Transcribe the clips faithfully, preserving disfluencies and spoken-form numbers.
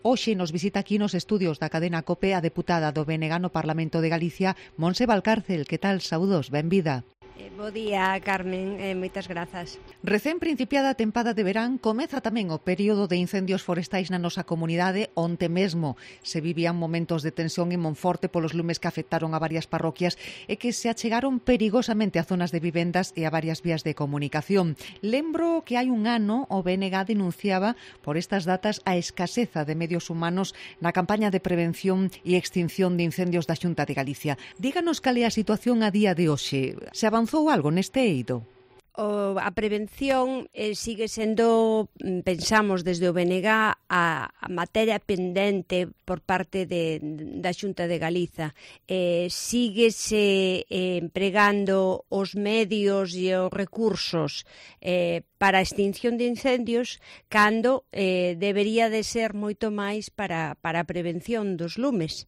Hoxe nos visita aquí nos estudios da cadena COPE a deputada do B N G no Parlamento de Galicia, Montse Valcárcel. Que tal? Saúdos, benvida. Eh, bo día, Carmen, eh, moitas grazas. Recén principiada a tempada de verán, comeza tamén o período de incendios forestais na nosa comunidade. Onte mesmo se vivían momentos de tensión en Monforte polos lumes que afectaron a varias parroquias e que se achegaron perigosamente a zonas de vivendas e a varias vías de comunicación. Lembro que hai un ano o B N G denunciaba por estas datas a escaseza de medios humanos na campaña de prevención e extinción de incendios da Xunta de Galicia. Díganos cal é a situación a día de hoxe. Se avanzou algo neste eido? O, a prevención eh, sigue sendo, pensamos desde o B N G, a, a materia pendente por parte de, da Xunta de Galiza. Eh, síguese eh, empregando os medios e os recursos eh, para a extinción de incendios cando eh, debería de ser moito máis para, para a prevención dos lumes.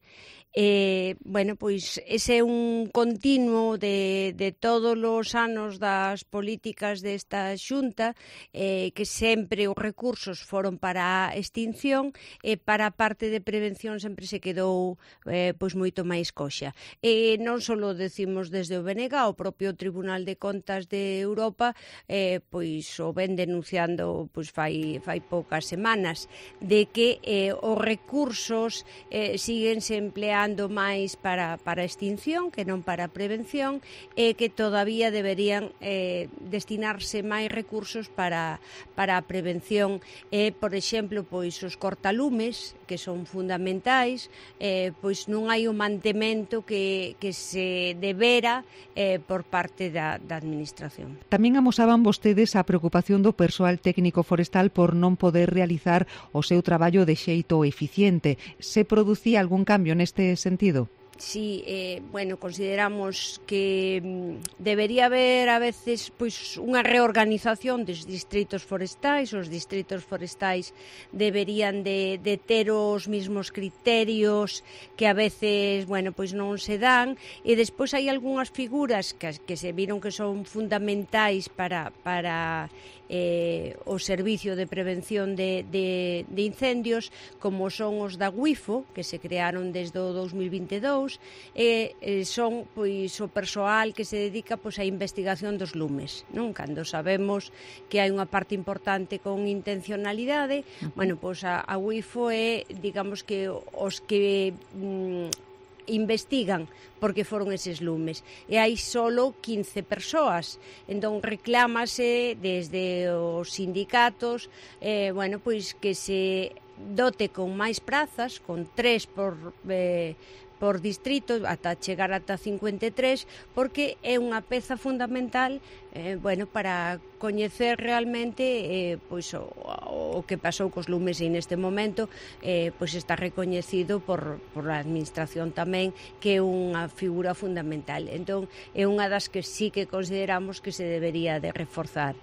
Eh, bueno, pois ese é un continuo de, de todos os anos das políticas desta xunta, eh, que sempre os recursos foron para a extinción e para a parte de prevención sempre se quedou eh, pois moito máis coxa. E non só decimos desde o B N G, o propio Tribunal de Contas de Europa eh, pois o ven denunciando pois fai, fai poucas semanas de que eh, os recursos eh, síguense empleando máis para, para a extinción que non para a prevención e que todavía deberían eh, destinarse máis recursos para, para a prevención e, eh, por exemplo, pois os cortalumes que son fundamentais, eh, pois non hai o mantemento que, que se debera eh, por parte da, da administración. Tamén amosaban vostedes a preocupación do persoal técnico forestal por non poder realizar o seu traballo de xeito eficiente. Se producía algún cambio neste sentido? Sí, eh, bueno, consideramos que mm, debería haber a veces pois unha reorganización dos distritos forestais. Os distritos forestais deberían de, de ter os mesmos criterios que a veces, bueno, pois non se dan, e despois hai algunhas figuras que, que se viron que son fundamentais para, para eh, o servicio de prevención de, de, de incendios, como son os da WIFO, que se crearon desde o dous mil vinte e dous, e eh, son pois o persoal que se dedica pois á investigación dos lumes, non? Cando sabemos que hai unha parte importante con intencionalidade, uh-huh. bueno, pois a, a WIFO é, digamos que os que mm, investigan porque foron eses lumes, e hai solo quince persoas, entón reclámase desde os sindicatos eh, bueno, pois que se dote con máis prazas, con tres por eh, por distrito, ata chegar ata cincuenta e tres, porque é unha peza fundamental eh, bueno, para coñecer realmente eh, pois o, o que pasou cos lumes, e neste momento eh, pois está recoñecido por, por a administración tamén, que é unha figura fundamental. Entón é unha das que sí que consideramos que se debería de reforzar.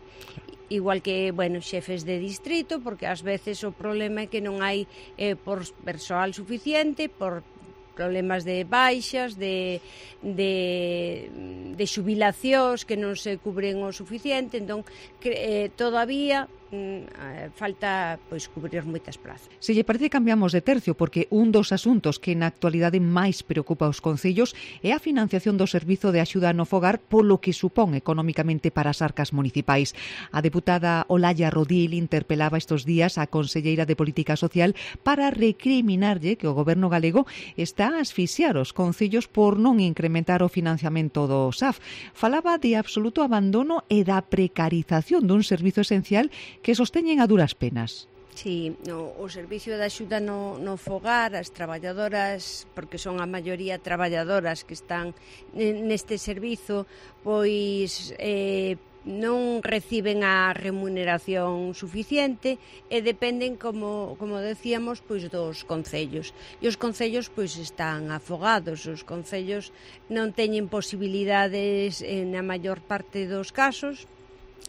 Igual que, bueno, xefes de distrito, porque ás veces o problema é que non hai eh, por persoal suficiente, por problemas de baixas, de, de, de xubilacións que non se cubren o suficiente, entón que, eh, todavía mm, falta pois cubrir moitas plazas. Se lle parece, cambiamos de tercio, porque un dos asuntos que na actualidade máis preocupa os concellos é a financiación do servizo de axuda no fogar, polo que supón económicamente para as arcas municipais. A deputada Olalla Rodil interpelaba estes días a conselleira de Política Social para recriminarlle que o goberno galego está a asfixiar os concellos por non incrementar o financiamento do S A F. Falaba de absoluto abandono e da precarización dun servizo esencial que sosteñen a duras penas. Sí, no, o servicio de axuda no, no fogar, as traballadoras, porque son a maioría traballadoras que están neste servizo, pois eh, non reciben a remuneración suficiente e dependen, como, como decíamos, pois dos concellos. E os concellos pois están afogados, os concellos non teñen posibilidades na maior parte dos casos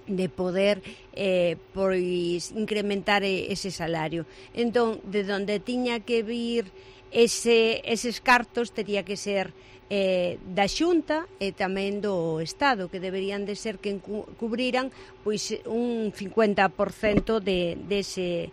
de poder eh, pois incrementar ese salario. Entón, de onde tiña que vir ese, eses cartos tería que ser eh, da Xunta e tamén do Estado, que deberían de ser que cu- cubriran pois un cincuenta por cento de, dese,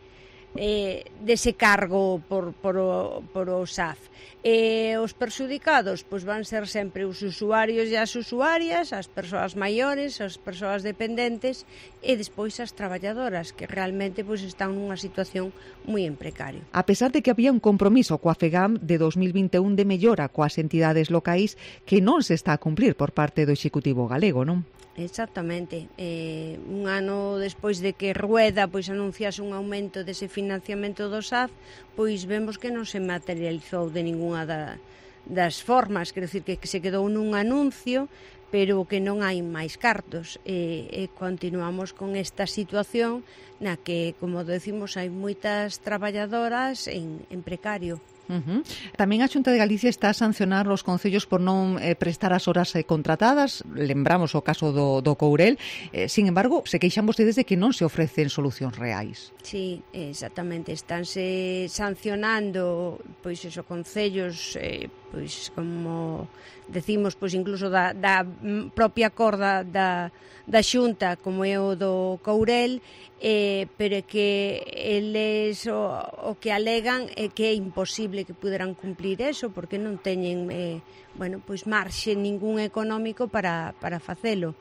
eh, dese cargo por, por, o, por o S A F. E os perxudicados pois van ser sempre os usuarios e as usuarias, as persoas maiores, as persoas dependentes e despois as traballadoras que realmente pois están nunha situación moi en precario. A pesar de que había un compromiso coa FEGAM de dos mil vinte e un de mellora coas entidades locais que non se está a cumplir por parte do Executivo galego, non? Exactamente. Eh, un ano despois de que Rueda pois anunciase un aumento dese financiamento do S A F, pois vemos que non se materializou de ningunha da, das formas, quero dicir que, que se quedou nun anuncio, pero que non hai máis cartos. E, e continuamos con esta situación na que, como decimos, hai moitas traballadoras en, en precario. Uh-huh. Tamén a Xunta de Galicia está a sancionar os concellos por non eh, prestar as horas eh, contratadas. Lembramos o caso do, do Courel. Eh, sin embargo, se queixan vostedes de que non se ofrecen solucións reais. Sí, exactamente. Estánse sancionando pois esos concellos eh, pois como decimos, pois incluso da, da propia corda da, da Xunta, como é o do Courel, eh, pero que eles o, o que alegan é que é imposible que puderan cumplir eso, porque non teñen eh, bueno, pois marxe ningún económico para, para facelo.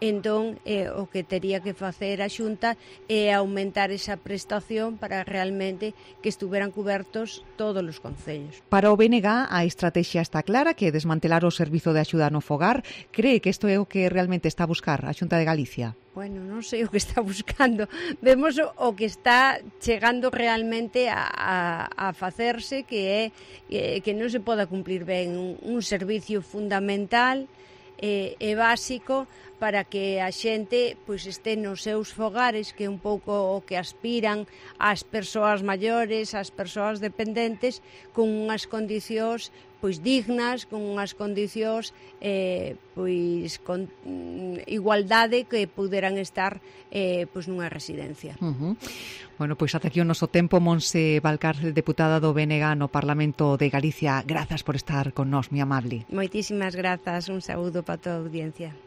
Entón, eh, o que tería que facer a Xunta é aumentar esa prestación para realmente que estuveran cubertos todos os concellos. Para o B N G a estrategia está clara, que é desmantelar o servizo de axuda no fogar. Cree que isto é o que realmente está a buscar a Xunta de Galicia? Bueno, non sei o que está buscando. Vemos o que está chegando realmente a, a, a facerse, que é que non se poda cumplir ben un, un servicio fundamental e, e básico para que a xente pois este nos seus fogares, que é un pouco o que aspiran as persoas maiores, as persoas dependentes, con unhas condicións pois dignas, con unhas condicións eh, pois con mm, igualdade que puderan estar eh, pois nunha residencia. Uh-huh. Bueno, pois ata aquí o noso tempo. Monse Valcar, deputada do B N G no Parlamento de Galicia, grazas por estar con nós, moi amable. Moitísimas grazas, un saúdo para toda a audiencia.